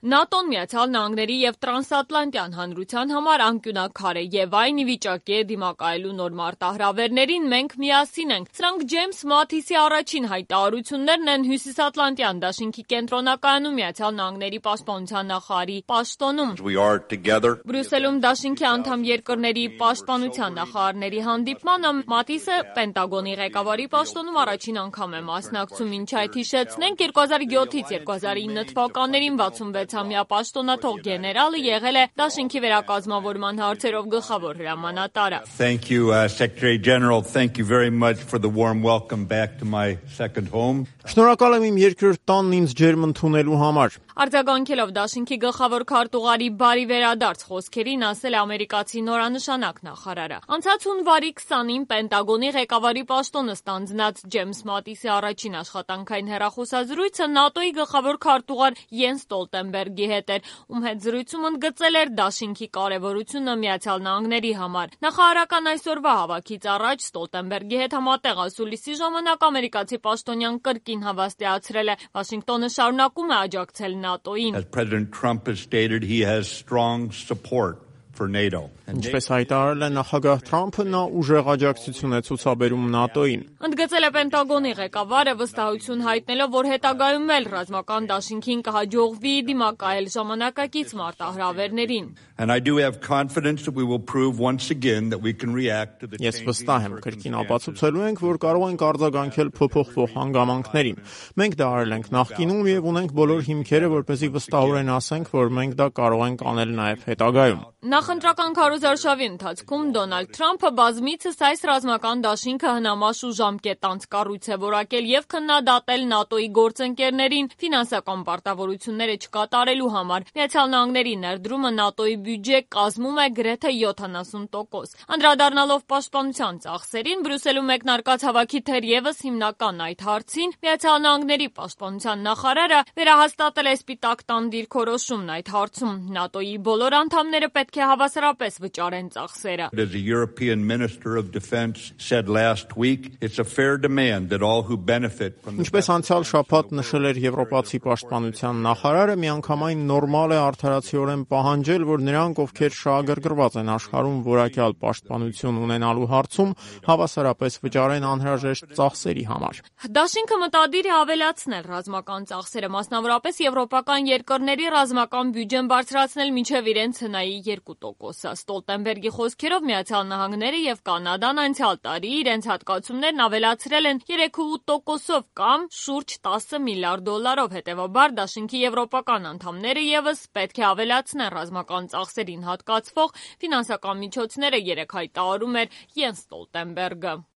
ՆԱՏՕ-ն Միացյալ Նահանգների և տրանսատլանտյան հանրության համար անկյունաքար է և այն ի վիճակի է դիմակայելու նոր մարտահրավերներին, մենք միասին ենք։ Սրանք Ջեյմս Մաթիսի առաջին հայտարարություններն են Հյուսիսատլանտյան դաշինքի կենտրոնակայանում Միացյալ Նահանգների պաշտպանության նախարարի պաշտոնում։ Բրյուսելում դաշինքի անդամ երկրների պաշտպանության նախարարների հանդիպմանը Մաթիսը Պենտագոնի ղեկավարի պաշտոնում առաջին անգամ է մասնակցում, ինչ այդ հիշեցնենք 2007-ից 2009 թվականներին 66-ամյա պաշտոնաթող գեներալը եղել է դաշինքի վերակազմավորման հարցերով գլխավոր հրամանատարը։ Thank you, Secretary General. Thank you very much for the warm welcome back to my second home. Շնորհակալ եմ իմ երկրորդ տանն ինձ ջերմ ընդունելու համար։ Արձագանքելով դաշինքի գլխավոր քարտուղարի բարի վերադարձ խոսքերին ասել է ամերիկացի նորանշանակ նախարարը։ Անցած հունվարի 20-ին Պենտագոնի ղեկավարի պաշտոնը ստանձնած Ջեյմս Մաթիսի առաջին աշխատանքային հեռախոսազրույցը ՆԱՏՕ-ի գլխավոր քարտուղար Յենս Ստոլտենբերգի հետ էր, ում հետ զրույցում ընդգծել էր դաշինքի կարևորությունը Միացյալ Նահանգների համար։ Նախարարական այսօրվա հավաքից առաջ Ստոլտենբերգի հետ համատեղ ասուլիսի ժամանակ ամերիկացի պաշտոնյան կրկին հավաստիացրել է Վաշինգտոնը շարունակում է աջակցել ՆԱՏՕ-ին։ As President Trump has stated, he has strong support for NATO. Ինչպես հայտարարել է նախագահ Թրամփը, նա ուժեղ աջակցություն է ցուցաբերում ՆԱՏՕ-ին։ Ընդգծել է Պենտագոնի ղեկավարը վստահություն հայտնելով, որ հետագայում էլ ռազմական դաշինքին կհաջողվի դիմակայել ժամանակակից մարտահրավերներին։ And I do have confidence that we will prove once again that we can react to the Ես վստահ եմ, կրկին ապացուցելու ենք, որ կարող ենք արձագանքել փոփոխվող հանգամանքներին։ Մենք դա արել ենք նախկինում եւ ունենք բոլոր հիմքերը, որպեսզի վստահորեն ասենք, որ մենք դա կարող ենք անել նաեւ հետագայում։ Նախընտրական քարոզարշավի ընթացքում Դոնալդ Թրամփը բազմիցս այս ռազմական դաշինքը հնամաշ ու ժամկետանց կառույց է որակել եւ քննադատել ՆԱՏՕ-ի գործընկերներին ֆինանսական պարտավորությունները չկատարելու համար։ Միացյալ Նահանգների ներդրումը ՆԱՏՕ-ի բյուջե կազմում է գրեթե 70%։ Անդրադառնալով պաշտպանության ծախսերին, Բրյուսելում մեկնարկած հավաքի թերևս հիմնական այդ հարցին Միացյալ Նահանգների պաշտպանության նախարարը վերահաստատել է Սպիտակ տան դիրքորոշումն այդ հարցում։ ՆԱՏՕ-ի բոլոր անդամները պետք է հավասարապես վճարեն ծախսերը։ As the European Minister of Defense said last week, it's a fair demand that all who benefit from the Ինչպես անցյալ շաբաթ նշել էր Եվրոպացի պաշտպանության նախարարը, միանգամայն նորմալ է արդարացիորեն պահանջել, որ նրանք, ովքեր շահագրգռված են աշխարհում որակյալ պաշտպանություն ունենալու հարցում, հավասարապես վճարեն անհրաժեշտ ծախսերի համար։ Դաշինքը մտադիր է ավելացնել ռազմական ծախսերը, մասնավորապես եվրոպական երկրների ռազմական բյուջեն բարձրացնել մինչև իրենց հնայի 2%-ը։ Ստոլտենբերգի խոսքերով Միացյալ Նահանգները եւ Կանադան անցյալ տարի իրենց հատկացումներն ավելացրել են 3.8%-ով կամ շուրջ $10 միլիարդ։ Հետևաբար դաշինքի եվրոպական անդամները եւս պետք է ավելացնեն ռազմական ծախսերին հատկացվող ֆինանսական միջոցները, երեկ հայտարարում էր Յենս Ստոլտենբերգը։